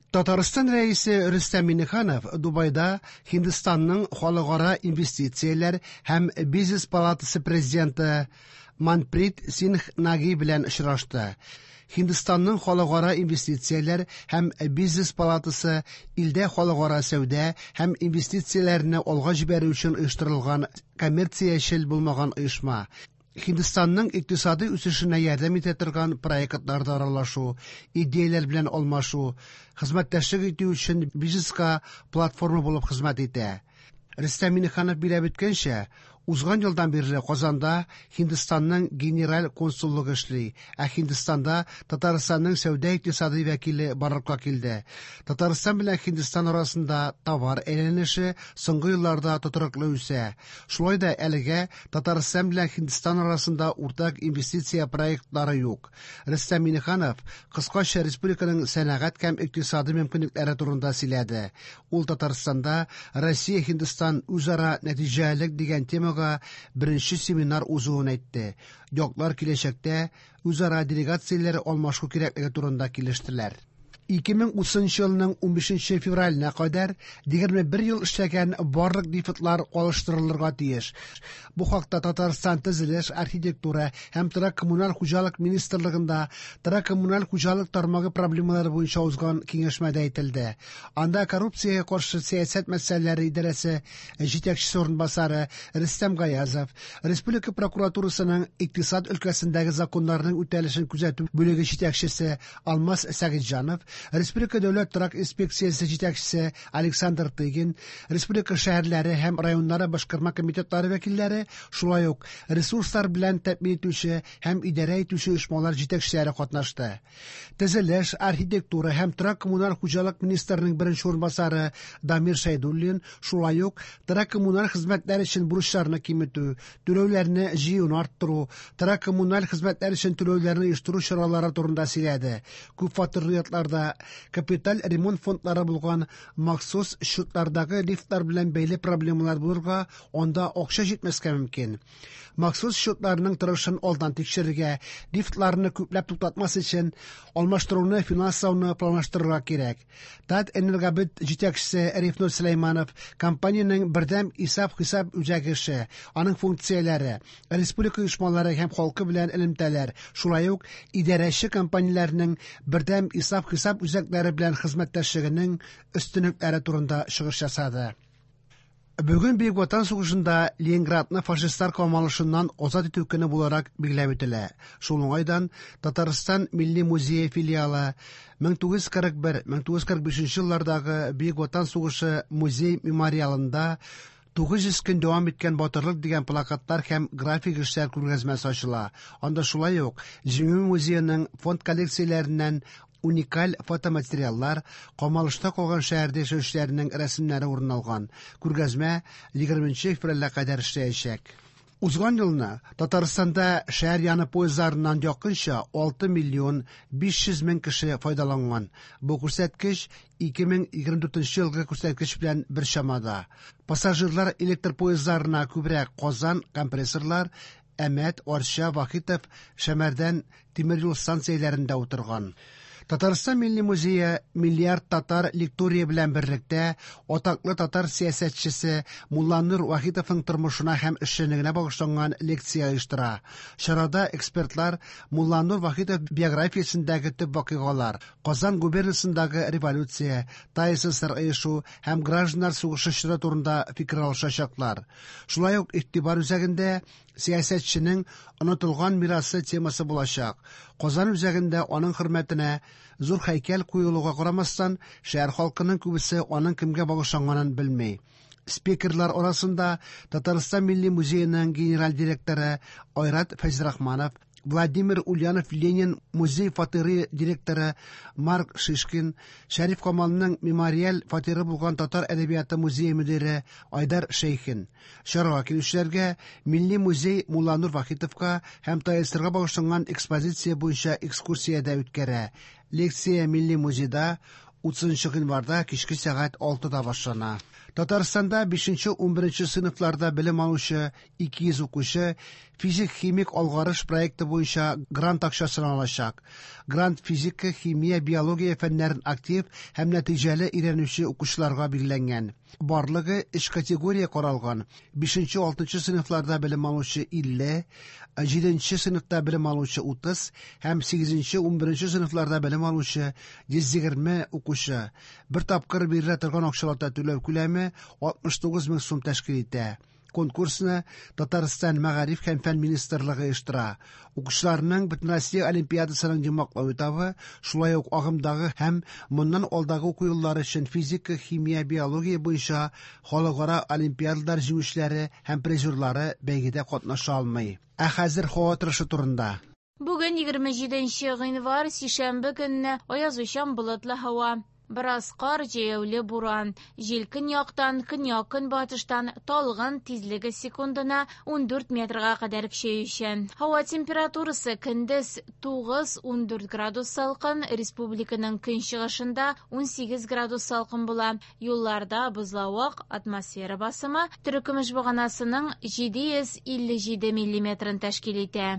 Татарстан Рәисе Рөстәм Миңнеханов Дубайда Һиндстанның халыкара инвестицияләр һәм бизнес палатасы президенты Манприт Сингх Наги белән очрашты. Һиндстанның халыкара инвестицияләр һәм бизнес палатасы илдә халыкара сәүдә һәм инвестицияләрне алга җибәрү өчен оештырылган коммерциячел булмаган оешма. Һиндстанның икътисади үсешенә ярдәм итә торган проектларда аралашу, идеяләр белән алмашу, хезмәттәшлек итү өчен бизнеска платформа булып хезмәт итә. Рөстәм Миңнеханов билгеләп үткәнчә, узган елдан бирле Казанда Һиндстанның генераль консуллыгы эшли, ә Һиндстанда Татарстанның сәүдә-икътисади вәкиле барлыкка килде. Татарстан белән Һиндстан арасында товар әйләнеше соңгы елларда тотрыклы үсә. Шулай да әлегә Татарстан белән Һиндстан арасында уртак инвестиция проектлары юк. Рөстәм Миңнеханов кыскача республиканың сәнәгать һәм икътисади мөмкинлекләре турында сөйләде. Ул Татарстанда Россия-Һиндстан үзара нәтиҗәлелек дигән темага беренче семинар узуын әйтте. Яклар киләчәктә үзара делегацияләр алмашу кирәклеге турында килештеләр. 2030 елның 15 февраленә кадәр 21 ел эшләгән барлык лифтлар алыштырылырга тиеш. Бу хакта Татарстан төзелеш, архитектура һәм торак-коммуналь хуҗалык министрлыгында торак-коммуналь хуҗалык тармагы проблемалары буенча узган киңәшмәдә әйтелде. Анда коррупциягә каршы сәясәт мәсьәләләре идарәсе җитәкчесе урынбасары Рөстәм Гаязов, Республика прокуратурасының икътисад өлкәсендәге законнарның үтәлешен күзәтү бүлеге җитәкчесе Алмаз Сәгыйтьҗанов, Республика дәүләт торак инспекциясе җитәкчесе Александр Тыгин, республика шәһәрләре һәм районнары башкарма комитетлары вәкилләре, шулай ук ресурслар белән тәэмин итүче һәм идарә итүче оешмалар җитәкчеләре катнашты. Төзелеш, архитектура һәм торак-коммуналь хуҗалык министрының беренче урынбасары Дамир Шәйдуллин шулай ук торак-коммуналь хезмәтләр өчен бурычларны киметү, түләүләрне җыюны арттыру, торак-коммуналь хезмәтләр өчен түләүләрне оештыру чаралары турында сөйләде. Күп фатирлы йортларда капиталь ремонт фондлары булган махсус счетлардагы лифтлар белән бәйле проблемалар булырга, анда акча җитмәскә мөмкин. Махсус счетларның торышын алдан тикшерергә, лифтларны күпләп туктатмас өчен алмаштыруны финанслауны планлаштырырга кирәк. Татэнергобыт җитәкчесе Рифнур Сөләйманов компаниянең бердәм исәп-хисап үзәге эше, аның функцияләре, республика оешмалары һәм халкы белән элемтәләр, шулай ук идарәче компанияләрнең бердәм исәп-хисап үзәкләре белән хезмәттәшлегенең өстенлекләре турында чыгыш ясады. Бүген Бөек Ватан сугышында Ленинградны фашистлар камалышыннан азат итү көне буларак билгеләп үтелә. Шул уңайдан Татарстан Милли музее филиалы 1941-1945 еллардагы Бөек Ватан сугышы музей мемориалында 900 көн дәвам иткән батырлык дигән плакатлар һәм график эшләр күргәзмәсе ачыла. Анда шулай ук Җиңү музееның фонд коллекцияләреннән уникаль фотоматериаллар, камалышта калган шәһәрдә яшәүчеләрнең рәсемнәре урын алган. Күргәзмә 20 февральгә кадәр эшләячәк. Узган елны Татарстанда шәһәр яны поездларыннан якынча 6 миллион 500 мең кеше файдаланган. Бу күрсәткеч 2024 елгы күрсәткеч белән бер чамада. Пассажирлар электр поездларына күбрәк Казан компрессорлар, Әмәт, Арча, Вахитов, Шәмәрдән тимер юл станцияләрендә утырган. Татарстан Милли музее Миллиард татар лектория белән берлектә атаклы татар сәясәтчесе Мулланур Вахитовның тормышына һәм эшчәнлегенә багышланган лекция оештыра. Чарада экспертлар Мулланур Вахитов биографиясендәге төп вакыйгалар, Казан губернасындагы революция, ТАССР оешу һәм гражданнар сугышы чоры турында фикер алышачаклар. Шулай ук игътибар үзәгендә сәясәтченең онытылган мирасы темасы булачак. Казан үзәгендә аның хөрмәтенә зур һәйкәл куелуга карамастан, шәһәр халкының күбесе аның кемгә багышланганын белми. Спикерлар арасында Татарстан Милли музееның генераль директоры Айрат Фәйзрахманов, Владимир Ульянов Ленин музей фатиры директоры Марк Шишкин, Шәриф Камалның мемориаль фатиры булган Татар әдәбияты музее мөдире Айдар Шәйхин. Чарага килүчеләргә Милли музей Мулланур Вахитовка һәм ТАССРга багышланган экспозиция буенча экскурсия дә үткәрә. Лекция Милли музейда 30 гыйнварда кичке сәгать 6-да башлана. Татарстанда 5-11 сыйныфларда белем алучы 200 укучы физик-химик алгарыш проекты буенча грант акчасын алачак. Грант физика, химия, биология фәннәрен актив һәм нәтиҗәле өйрәнүче укучыларга билгеләнгән. Барлыгы өч категория каралган: 5-6 сыйныфларда белем алучы 50, 7 сыйныфта белем алучы 30 һәм 8-11 сыйныфларда белем алучы 120 укучы. Бер тапкыр бирелә торган акчалата түләү күләме 69 мең сум тәшкил итә. Конкурсны Татарстан Мәгариф һәм фән министрлыгы оештыра. Укучыларның Бөтенроссия олимпиадасының йомгаклау этабы, шулай ук агымдагы һәм моннан алдагы уку еллары өчен физика, химия, биология буенча халыкара олимпиадалар җиңүчеләре һәм призерлары бәйгедә катнаша алмый. Ә хәзер һава торышы турында. Бүген 27 гыйнвар, сишәмбе көнне аязучан болытлы һава. Бераз кар, җәяүле буран. Җил көньяктан, көньяк-көнбатыштан талгын, тизлеге секундына 14 метрга кадәр көчәючән. Һава температурасы көндез 9-14 градус салкын, республиканың көнчыгышында 18 градус салкын була. Юлларда бозлавык, атмосфера басымы терекөмеш баганасының 757 миллиметрын тәшкил итә.